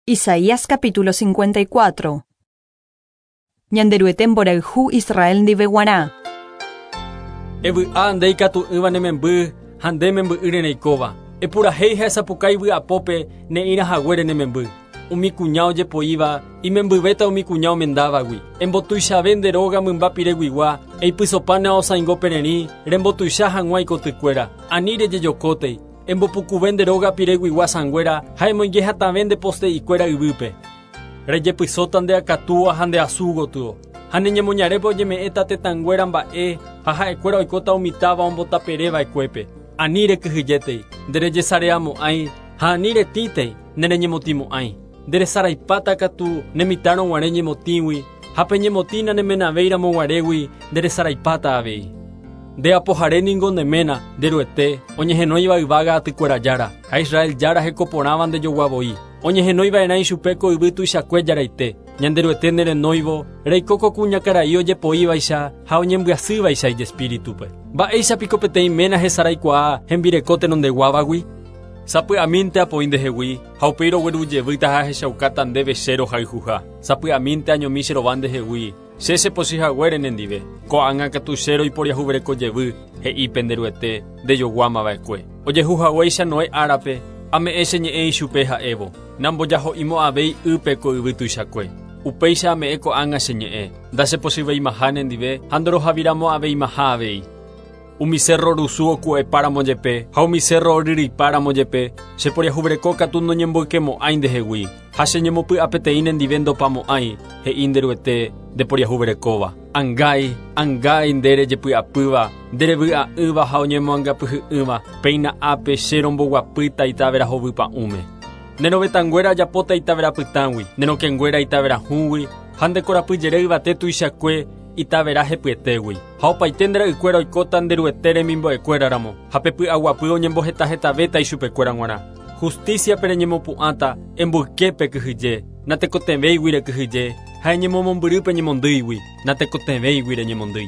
Isaías capítulo 54. Ñanderuete mborayhu Israel ndive guarã. Evy'a nde ikatu'ỹva ne memby ha nde memby'ỹre reikóva. Epurahéi ha esapukái vy'apópe ne'ĩra haguére ne memby. Umi kuña ojepoíva imembyvéta umi kuña omendávagui. Embotuichave nde róga mymba pireguigua, eipysopa ne aosãingo pererĩ, rembotuicha hag̃ua ikotykuéra. Ani rejejokótei. Embopukuve nde róga pireguigua sãnguéra ha emoinge hatãve nde poste'ikuéra yvýpe. Rejepysóta nde akatúa ha nde asu gotyo, ha ne ñemoñarépe oñeme'ẽta tetãnguéra mba'e ha ha'ekuéra oikóta umi táva ombotapere va'ekuépe. Ani rekyhyjétei, nderejesareamo'ãi ha ani retĩtei, nereñemotĩmo'ãi. Nderesaraipáta katu ne mitãrõ guare ñemotĩgui ha pe ñemotĩ nanemenavéiramo guarégui nderesaraipáta avei. Nde apohare ningo ne ména, nde Ruete, oñehenóiva yvága atykuéra Jára, ha Israel Jára heko porãva ndejogua voi. Oñehenói va'erã ichupe ko yvy tuichakue Jaraite. Ñanderuete nerenóivo, reiko ko kuñakarai ojepoívaicha ha oñembyasývaicha ijespíritupe. Mba'éicha piko peteĩ ména hesaraikuaa hembireko tenondeguávagui? Sapy'amínte apoi ndehegui, ha upéi rogueru jevýta ha ahechaukáta ndéve che rohayhuha. Sapy'amínte añomi che rova ndehegui, che chepochy haguére nendive. Ko'ág̃a katu che roiporiahuvereko jevy, he'i pende Ruete, ndejoguáma va'ekue. Ojehu haguéicha Noé árape, ame'ẽ che ñe'ẽ ichupe ha'évo, Nambojaho'imo'ãvéi ýpe ko yvy tuichakue. Upéicha ame'ẽ ko'ág̃a che ñe'ẽ, ndachepochyveimaha nendive ha ndorohaviramo'ãveimaha avei. Umi sérro rusu oku'epáramo jepe ha umi sérro oryryipáramo jepe, che poriahuvereko katu noñemboykemo'ãi ndehegui, ha che ñemopy'apeteĩ nendive ndopamo'ãi, he'i nde Ruete, nde poriahuverekóva. Angái, angái nde rejepy'apýva, nde revy'a'ỹva ha oñemoangapyhy'ỹva, péina ápe che romboguapýta itavera hovy pa'ũme. Ne rovetãnguéra ajapóta itavera pytãgui, ne rokẽnguéra itavera hũgui, ha nde korapyjere yvate tuichakue itavera hepyetégui. Ha opaite nde ra'ykuéra oikóta nde Ruete remimbo'ekuéra ramo, ha pe py'aguapy oñembohetahetavéta ichupekuéra g̃uarã. Justíciape reñemopu'ãta, emboyke pe kyhyje, natekotevẽigui rekyhyje, ha eñemomombyry pe ñemondýigui, natekotevẽigui reñemondýi.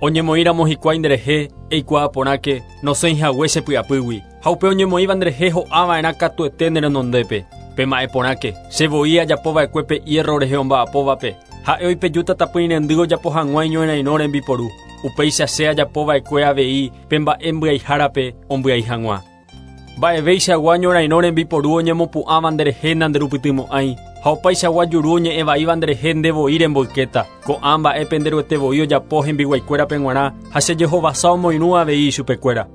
Oñemoĩramo hikuái nderehe, eikuaa porãke, nosẽi hague che py'apýgui, ha upe oñemoĩva nderehe ho'a va'erã katuete ne renondépe. Pema'ẽ porãke, che voi ajapo va'ekue pe hierro rehe omba'apóvape, ha'e oipejúta tapỹirendy ojapo hag̃ua iñorairõ rembiporu. Upéicha che ajapo va'ekue avei pe mba'e mbyaiharape ombyai hag̃ua. Mba'eveichagua ñorairõ rembiporu oñemopu'ãva nderehe nanderupytymo'ãi, ha opaichagua juru oñe'ẽ vaíva nderehe nde voi remboykéta. Ko'ã mba'e pende Ruete voi ojapo hembiguaikuérape g̃uarã ha che jehovasa omoirũ avei ichupekuéra.